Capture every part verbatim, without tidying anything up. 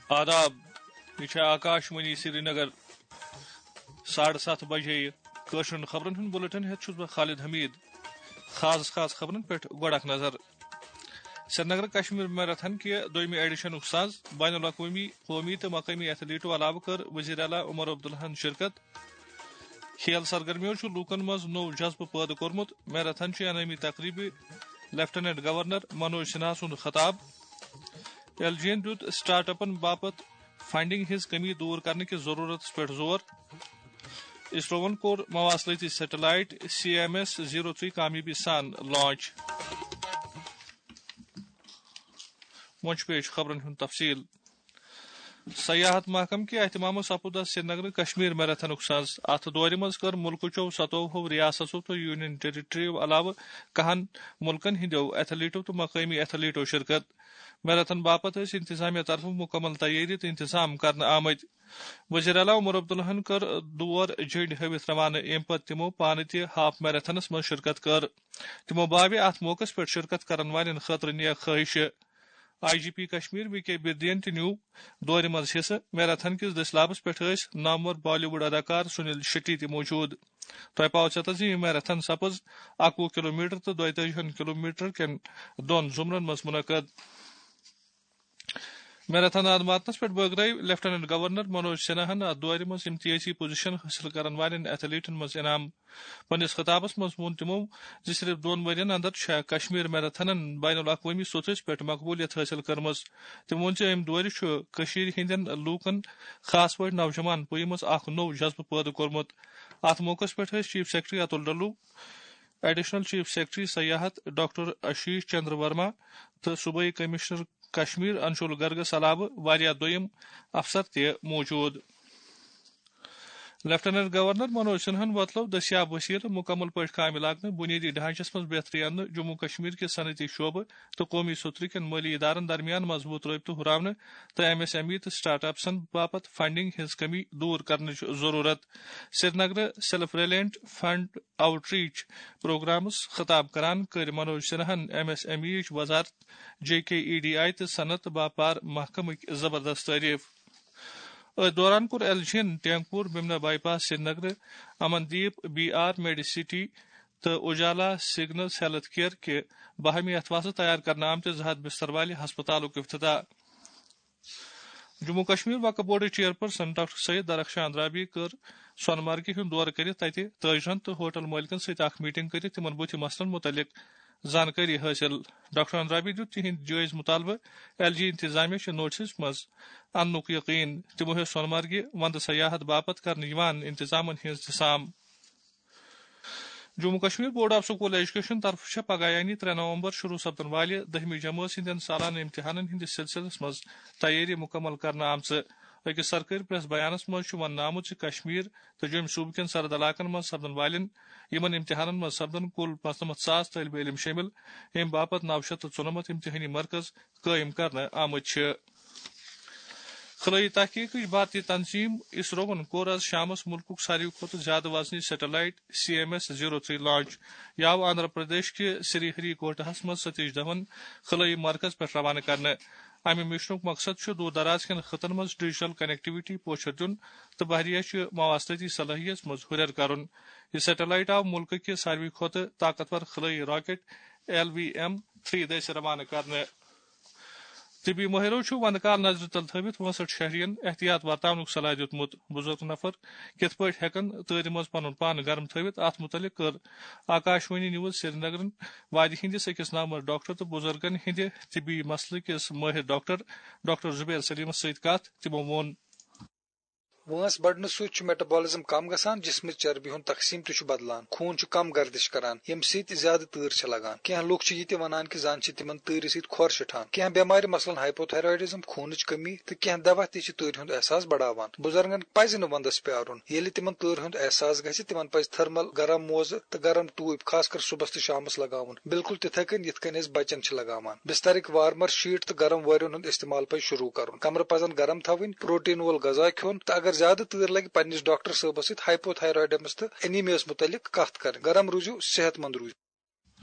آداب، یہِ چھےٚ آکاش وانی سرینگر۔ ساڑٕ ستھ بجے۔ کٲشرٮ۪ن خبرن ہُنٛد بُلٹن ہٮ۪تھ چھُس بہٕ خالد حمید۔ خاص خاص خبرن پٮ۪ٹھ گۄڈٕ اکھ نظر۔ سرینگر کشمیر میراتھن کہِ دوٚیمہِ ایڈیشنُک ساز بین الاقوٲمی، قومی تہٕ مقٲمی ایتھلیٹو علاوٕ کٔر وزیر اعلیٰ عمر عبداللہن شرکت۔ کھیل سرگرمیو چھُ لوٗکن منٛز نوٚو جذبہٕ پٲدٕ کوٚرمُت۔ میراتھن چھُ انعٲمی تقریبہِ لیفٹیننٹ گورنر منوج سنہا سُنٛد خطاب۔ ایل جی یَن دیُت سٹارٹ اپن باپتھ فنڈنگ ہٕنٛز کمی دور کرنہٕ کِس ضروٗرتس پٮ۪ٹھ زور۔ اسروَن کوٚر مواصلٲتی satellite C M S zero three کامیٲبی سان لانچ۔ وۄنۍ چھُ پیش خبرن ہُنٛد تفصیل۔ سیاحت محکمہٕ کہِ اہتمامہٕ سپُد آز سرینگرٕ کشمیر میراتھنُک ساز۔ اتھ دورِ منٛز کٔر مُلکٕچو ستووُہو ریاستو تہٕ یونین ٹیریٹریو علاوٕ کہن مُلکن ہٕنٛدیو ایتھلیٹو تہٕ مقٲمی ایتھلیٹو شرکت۔ میراتھن باپتھ ٲسۍ انتظامیہ طرفہٕ مُکمل تیٲری تہٕ انتظام کرنہٕ آمٕتۍ۔ وزیر اعلیٰ عمر عبداللہن کٔر دور جھنڈی ہٲوِتھ روانہٕ، ییٚمہِ پتہٕ تِمو پانہٕ تہِ ہاف میراتھنس منٛز شرکت کٔر۔ تِمو باوِ اتھ موقعس پٮ۪ٹھ شرکت کرن والٮ۪ن خٲطرٕ نیک خٲہشہٕ۔ I G P Kashmir V K بردین تہِ نیوٗ دورِ منٛز حصہٕ۔ میراتھن کِس دٔسۍ لابس پٮ۪ٹھ ٲسۍ نامور بالی ووڈ اداکار سنیل شیٹی تہِ موجود۔ تۄہہِ پاوٕ ژےٚ تہٕ زِ یہِ میراتھن سپٕز اَکوُہ کلومیٹر تہٕ دۄیتٲجی کلومیٹر کٮ۪ن دۄن زمرن منٛز منعقد۔ میراتھن آد ماتنس پٮ۪ٹھ بٲگرٲوۍ لیفٹیننٹ گورنر منوج سنہاہن اتھ دورِ منٛز امتیازی پوزیشن حٲصِل کرن والٮ۪ن ایتھلیٹن منٛز انعام۔ پننِس خطابس منٛز ووٚن تِمو زِ صرف دۄن ؤرین اندر چھےٚ کشمیر میراتھنن بین الاقوٲمی سطحس پٮ۪ٹھ مقبولیت حٲصِل کٔرمٕژ۔ تِمو ووٚن زِ امہِ دورِ چھُ کٔشیٖرِ ہٕنٛدٮ۪ن لوٗکن، خاص پٲٹھۍ نوجوان پُیہِ منٛز اکھ نوٚو جذبہٕ پٲدٕ کوٚرمُت۔ اتھ موقعس پٮ۪ٹھ ٲسۍ chief secretary Atul Dulloo, additional chief secretary سیاحت ڈاکٹر آشیش چندر ورما تہٕ صوبٲئی کمشنر کشمیر انشول گرگس علاوٕ واریاہ دوٚیِم افسر تہِ موجود۔ لیفٹیننٹ گورنر منوج سنہن وۄتلٲو دٔستیاب وسیلہٕ مکمل پٲٹھۍ کامہِ لاگنہٕ، بنیٲدی ڈھانچس منٛز بہتری اننہٕ، جموں کشمیر کہِ صنعتی شعبہٕ تہٕ قومی سترٕ کٮ۪ن مٲلی ادارن درمیان مضبوط رٲبطہٕ ہُراونہٕ تہٕ ایم ایس ایم ای تہٕ سٹارٹ اپسن باپتھ فنڈنگ ہٕنٛز کمی دور کرنٕچ ضرورت۔ سرینگرٕ self reliant fund outreach programmes خطاب کران کٔر منوج سنہاہن ایم ایس ایم ای یٕچ وزارت، J K E D I تہٕ صنعت تہٕ باپار محکمٕکۍ زبردست تعریف۔ أتھۍ دوران کوٚر ایل جی یَن ٹینگپور بمنا بائی پاس سرینگرٕ امن دیپ بی آر میڈی سٹی تہٕ اجالا سگنلز ہیلتھ کیئر کہِ باہمی اتھواسہٕ تیار کرنہٕ آمتہِ زٕ ہتھ بستر والہِ ہسپتالُک افتتاح۔ جموں کشمیر وقف بورڈٕچ چیئرپرسن ڈاکٹر سید درخشان رابی کٔر سۄنہٕ مرگہِ ہُنٛد دورٕ کٔرِتھ تَتہِ تٲجرَن تہٕ ہوٹل مٲلکَن سۭتۍ اکھ میٹنگ کٔرِتھ تِمَن بُتھِ مسلن مُتعلِق زانکٲری حٲصِل۔ ڈاکٹر رابی دیُت تِہنٛدۍ جٲیز مُطالبہٕ ایل جی انتظامیہ چہِ نوٹسَس منٛز اننُک یقین۔ تِمو ہیوٚت سۄنہٕ مرگہِ وندٕ سیاحت باپتھ کرنہٕ یِوان انتظامن ہٕنٛز تہِ سام۔ Jammu Kashmir board of school education طرفہٕ چھےٚ پگاہ یعنی ترٛےٚ نومبر شروع سپدن والہِ دٔہمہِ جمٲژ ہٕنٛدٮ۪ن سالانہٕ امتحانن ہٕنٛدِس سلسلس منٛز تیٲری مکمل کرنہٕ آمژٕ۔ أکِس سرکٲرۍ پریس بیانس منٛز چھُ وننہٕ آمُت زِ کشمیر تہٕ جوٚمۍ صوٗبہٕ کٮ۪ن سرحد علاقن منٛز سپدن والٮ۪ن یِمن امتحانن منٛز سپدن کُل پانٛژنمتھ ساس طٲلبہِ علم شٲمِل، ییٚمہِ باپتھ نو شیٚتھ تہٕ ژُنمتھ امتحٲنی مرکز قٲیِم کرنہٕ آمٕتۍ چھِ۔ خلٲیی تحقیقٕچ بھارتی تنظیم اسروَن کوٚر آز شامَس مُلکُک ساروی کھۄتہٕ زیادٕ وزنی satellite C M S zero three launch. یہِ آو آندھرا پردیش کہِ سری ہری کوٹاہَس منٛز ستیش دھون خلٲیی مرکز پٮ۪ٹھ روانہٕ کرنہٕ۔ امہِ مشنُک مقصد چھُ دوٗر دراز کٮ۪ن خطن منٛز ڈیجیٹل کنیکٹیویٹی پوچھر دیُن تہٕ بحریہ چہِ مواصلٲتی صلٲحیت منٛز ہُرٮ۪ر کرُن۔ یہِ سیٹلائٹ آو مُلکہٕ کہِ ساروی کھۄتہٕ طاقتور خلٲیی rocket L V M three دٔسۍ روانہٕ کرنہٕ۔ طبی مٲہرو چھُ وندٕ کال نظرِ تل تھٲوِتھ وٲنٛسٹھ شہرین احتیاط ورتاونُک صلاح دیُتمُت۔ بُزرگ نفر کِتھ پٲٹھۍ ہٮ۪کن تۭرِ منٛز پنُن پان گرم تھٲوِتھ، اتھ مُتعلق کٔر آکاشوانی نیوز سرینگرن وادی ہٕنٛدِس أکِس نامور ڈاکٹر تہٕ بُزرگن ہٕنٛدِ طبی مسلہٕ کِس مٲہِر ڈاکٹر، ڈاکٹر زبیر سلیمس سۭتۍ کتھ۔ تِمو ووٚن۔ وٲنٛس بڑنہٕ سۭتۍ چھُ میٹابولزم کم گژھان، جسمٕچ چربی ہُنٛد تقسیم تہِ چھُ بدلان، خوٗن چھُ کم گردش کران، ییٚمہِ سۭتۍ زیادٕ تۭر چھِ لگان۔ کینٛہہ لوٗکھ چھِ یہِ تہِ ونان کہِ زن چھِ تِمن تۭرِ سۭتۍ کھۄر شِٹھان۔ کینٛہہ بٮ۪مارِ، مثلاً ہائپوتھائرائیڈزم، خوٗنٕچ کمی تہٕ کینٛہہ دوا تہِ چھِ تۭرِ ہُنٛد احساس بڑاوان۔ بُزرگن پزِ نہٕ ونٛدس پیارُن۔ ییٚلہِ تِمن تۭرِ ہُنٛد احساس گژھِ، تِمن پزِ تھرمل گرم موزٕ تہٕ گرم ٹوٗپۍ، خاص کر صُبحس تہٕ شامس لگاوُن، بالکل تِتھے کٔنۍ یِتھ کٔنۍ أسۍ بچن چھِ لگاوان۔ بسترٕکۍ وارمر شیٹ تہٕ گرم وٲرٮ۪ن ہُنٛد استعمال پزِ شروع کرُن۔ کمرٕ پزن گرم تھاوٕنۍ، پروٹین وول غذا کھیوٚن تہٕ اگر زیادٕ تۭر لگہِ پننِس ڈاکٹر صٲبس سۭتۍ ہائپو تھائرائڈمس تہٕ انیمیاہس متعلق کتھ کرٕنۍ۔ گرم روٗزِو، صحت مند روٗزِو۔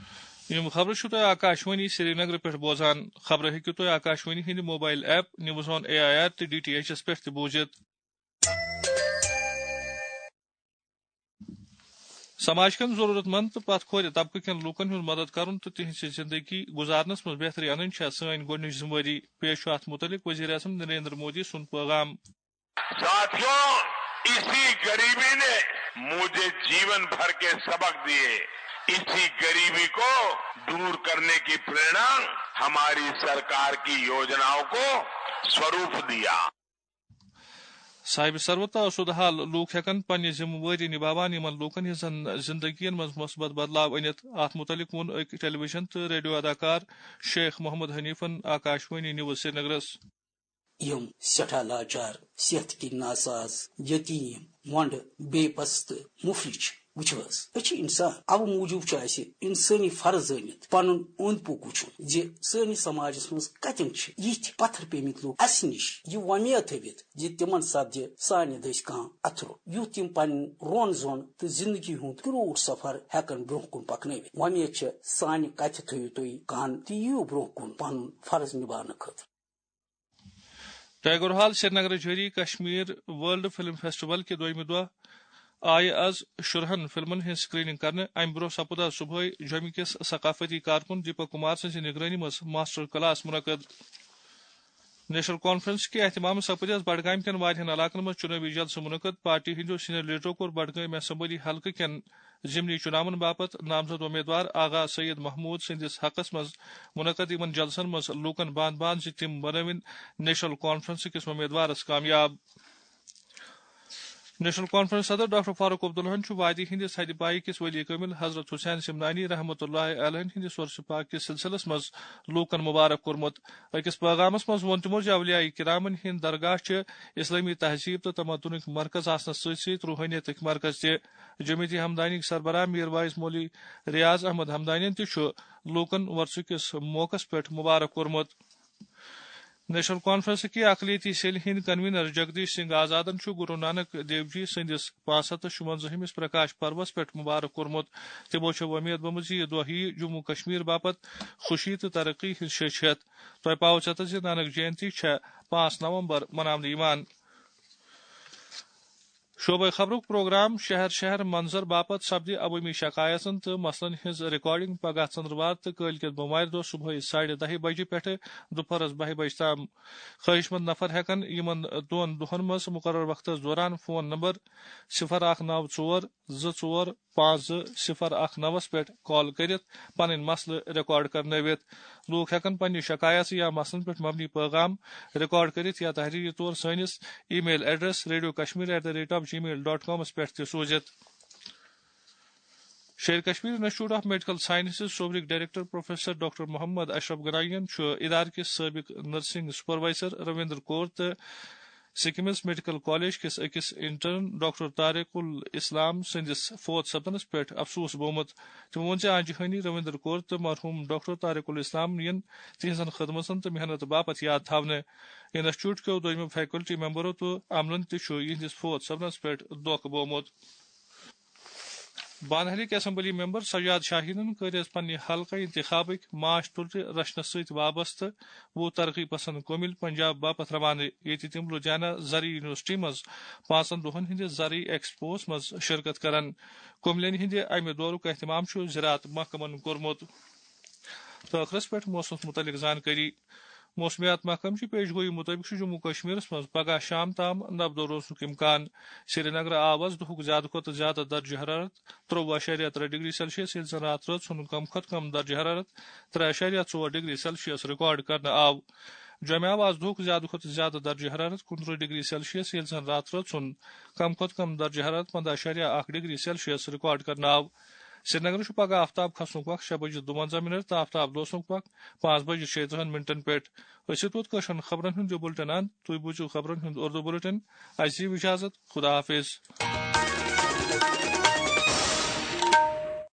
یِم خبرٕ چھِو تۄہہِ آکاشوانی سرینگرٕ پٮ۪ٹھ بوزان۔ خبرٕ ہیٚکِو تُہۍ آکاشوانی ہٕنٛدِ mobile app, news on A I R تہٕ ڈی ٹی ایچ ایس پٮ۪ٹھ تہِ بوٗزِتھ۔ سماج کٮ۪ن ضروٗرت مند تہٕ پتھ کھورِ طبقہٕ کٮ۪ن لوٗکن ہُنٛد مدد کرُن تہٕ تِہنٛزِ زندگی گُزارنس منٛز بہتری انٕنۍ چھےٚ سٲنۍ گۄڈٕنِچ ذمہٕ وٲری۔ پیش چھُ اتھ مُتعلق وزیر اعظم نریندر مودی سُنٛد پٲغام۔ ساتھیوں، اسی غریبی نے مجھے جیون بھر کے سبق دیے۔ اسی غریبی کو دور کرنے کی پریرنا ہماری سرکار کی یوجناؤں کو سوروپ دیا۔ صاحب ثروت تہٕ آسودٕ حال لوٗکھ ہٮ۪کن پننہِ ذمہٕ وٲری نِباوان، یِمن لوٗکن ہٕنٛزن زندگین منٛز مثبت بدلاو أنِتھ۔ اتھ مُتعلق ووٚن أکۍ ٹیلی ویژن تہٕ ریڈیو اداکار شیخ محمد حنیفن آکاشوانی نیوز سرینگرس۔ یِم سٮ۪ٹھاہ لاچار، صحت کِنۍ ناساز، یتیٖم، وۄنٛڈٕ، بے بس تہٕ مُفلِج چھِ۔ وٕچھِو حظ، أسۍ چھِ اِنسان، اَوٕ موٗجوٗب چھُ اَسہِ اِنسٲنی فرض زٲنِتھ پَنُن اوٚنٛد پوٚک وٕچھُن زِ سٲنِس سماجس منٛز کَتٮ۪ن چھِ یِتھۍ پتھر پیٚمٕتۍ لوٗکھ اَسہِ نِش، یہِ وۄمید تھٲوِتھ زِ تِمن سپدِ سانہِ دٔسۍ کانٛہہ اَتھٕ روٚٹ، یُتھ تِم پنُن رون زون تہٕ زِندگی ہُنٛد کرٛوٗٹھ سفر ہٮ۪کن برٛونٛہہ کُن پکنٲوِتھ۔ وۄمید چھےٚ، سانہِ کتھِ تھٲوِو تُہۍ کن تہٕ یِیِو برٛونٛہہ کُن پنُن فرض نِباونہٕ خٲطرٕ۔ ٹیگور ہال سرینگرٕ جٲری کشمیر ورلڈ فلم فیسٹیول کہِ دوٚیمہِ دۄہ آیہِ از شُرہن فلمن ہٕنٛز سکریننگ کرنہٕ۔ امہِ برٛونٛہہ سپُد از صبحٲے جوٚمہِ کِس ثقافتی کارکُن دیپک کمار سٕنٛزِ نگرٲنی منٛز ماسٹر کلاس منعقد۔ نیشنل کانفرنس کہِ اہتمام سپُد از بڈگام کٮ۪ن واریاہن علاقن منٛز چُنٲوی جلسہٕ منعقد۔ پارٹی ہٕنٛدیو سینئر لیڈرو کوٚر بڈگام اسمبلی حلقہٕ کٮ۪ن ضمنی چُناون باپتھ نامزد امیدوار آغا سید محمود سٕنٛدِس حقس منٛز منعقد یِمن جلسن منٛز لوٗکن باند باند زِ تِم بنٲوِن نیشنل کانفرنس کِس امیدوارس کامیاب۔ نیشنل کانفرنس صدر ڈاکٹر فاروق عبداللہن چھُ وادی ہٕنٛدِس حدِ پایہِ کِس ولی کٲمِل حضرت حسین سمنانی رحمتہ اللہ علیہ ہٕنٛدِس عرس پاک کِس سلسلس منٛز لوٗکن مبارک کوٚرمُت۔ أکِس پیغامس منٛز ووٚن تِمو زِ اولیاء کرامن ہٕنٛدۍ درگاہ چھِ اسلٲمی تہذیب تہٕ تمدنٕکۍ مرکز آسنس سۭتۍ سۭتۍ روحٲنیتٕکۍ مرکز تہِ۔ جمعیت ہمدانیٕکۍ سربراہ میر واعظ مولوی ریاض احمد ہمدانین تہِ چھُ لوٗکن وۄرثہٕ کِس موقعس پٮ۪ٹھ مبارک کوٚرمُت۔ نیشنل کانفرنس کہِ اقلیتی سیلہِ ہٕنٛدۍ کنوینر جگدیش سنگھ آزادن چھُ گرو نانک دیو جی سٕنٛدِس پانٛژھ ہتھ تہٕ شُونٛزاہمِس پرکاش پروس پٮ۪ٹھ مبارک کوٚرمُت۔ تِمو چھےٚ وۄمید بٔمٕژ زِ یہِ دۄہ یِیہِ جموں کشمیر باپتھ خوشی تہٕ ترقی ہٕنٛز شیٚچھ ہٮ۪تھ۔ تۄہہِ پاوٕ ژٮ۪تس زِ نانک جینتی چھےٚ پانٛژھ نومبر مناونہٕ یِوان۔ شعبہ خبرُک پروگرام شہر شہر منظر باپتھ سپدِ عوٲمی شکایژن تہٕ مسلن ہٕنٛز ریکارڈنگ پگاہ ژندروار تہٕ کٲلۍ کٮ۪تھ بوموارِ دۄہ صبحٲے ساڑِ دَہہِ بجہِ پٮ۪ٹھٕ دُپہرس بَہہِ بجہِ تام۔ خواہش مند نفر ہٮ۪کن یِمن دۄن دۄہن منٛز مقرر وقتس دوران فون نمبر صفر اکھ نو ژور زٕ ژور پانٛژھ زٕ صفر اکھ نوَس پٮ۪ٹھ کال کٔرِتھ پنٕنۍ مسلہٕ ریکارڈ کرنٲوِتھ۔ لوٗکھ ہٮ۪کن پننہِ شکایژٕ یا مسلن پٮ۪ٹھ مبنی پیغام ریکارڈ کٔرِتھ یا تحریری طور سٲنِس email address radio Kashmir at the rate of Gmail dot کامس پٮ۪ٹھ تہِ سوٗزِتھ۔ Sher Kashmir institute of medical sciences صوبرٕکۍ director professor doctor Mohammad Ashraf گنائین چھُ ادارٕ کِس سٲبق نرسنگ سپروائزر رویندر کور تہٕ سکمز میڈیکل کالج کِس أکِس انٹرن ڈاکٹر طارق الاسلام سٕنٛدِس فوت سپدنس پٮ۪ٹھ افسوس بومُت۔ تِمو ووٚن زِ آنجہانی رویندر کور تہٕ مرحوم ڈاکٹر طارق الاسلام یِن تِہنٛزن خدمژن تہٕ محنت باپتھ یاد تھاونہٕ۔ انسٹیٹیوٹ کیو دوٚیمہِ فیکلٹی ممبرو تہٕ عملن تہِ چھُ یِہنٛدِس فوت سپدنس پٮ۪ٹھ دۄکھ بومُت۔ بانہالٕکۍ اسمبلی ممبر سجاد شاہینن کٔرۍ از پننہِ حلقہٕ انتخابٕکۍ مارچ تُلرِ رچھنس سۭتۍ وابستہٕ وُہ ترقی پسند کُمِل پنجاب باپتھ روانہٕ، ییٚتہِ تِم لدھیانہ زرعی یونیورسٹی منٛز پانٛژن دۄہن ہٕنٛدِس زرعی ایکسپوہس منٛز شرکت کرن۔ کُملٮ۪ن ہٕنٛدِ امہِ دورُک اہتمام چھُ زراعت محکمن کوٚرمُت۔ تہٕ ٲخرس پٮ۪ٹھ موسمس مُتعلق زانکٲری۔ موسمیات محکمہٕ چہِ پیش گویی مُطٲبِق چھُ جموں کشمیرس منٛز پگہہ شام تام نبدو روزنُک امکان۔ سرینگرٕ آو از دُہُک زیادٕ کھۄتہٕ زیادٕ درجہ حرارت ترٛوٚوُہ اَشاریہ ترٛےٚ ڈگری سیلسیس، ییٚلہِ زن راتھ رٲژ ہُنٛد کم کھۄتہٕ کم درجہ حرارت ترٛےٚ اَشاریہ ژور ڈگری سیلسیس ریکارڈ کرنہٕ آو۔ جوٚمہِ آو از دُہُک زیادٕ کھۄتہٕ زیادٕ درجہ حرارت کُنترٕہ ڈگری سیلسیس، ییٚلہِ زن راتھ رٲژ ہُنٛد کم کھۄتہٕ کم درجہ حرارت پنٛداہ اَشاریہ اکھ ڈگری سیلسیس ریکارڈ کرنہٕ آو۔ سرینگرٕ چھُ پگہہ آفتاب کھسنُک وق شےٚ بجہِ دُوَنزاہ منٹ تہٕ آفتاب لوسنُک وق پانٛژھ بجہِ شیٚیہِ ترٕٛہن منٹن پٮ۪ٹھ۔ أسۍ چھِ توٚت کٲشرٮ۪ن خبرن ہُنٛد یہِ بُلٹن اند۔ تُہۍ بوٗزِو خبرن ہُنٛد اردو بُلٹن۔ اَسہِ دِیِو اجازت۔ خدا حافظ۔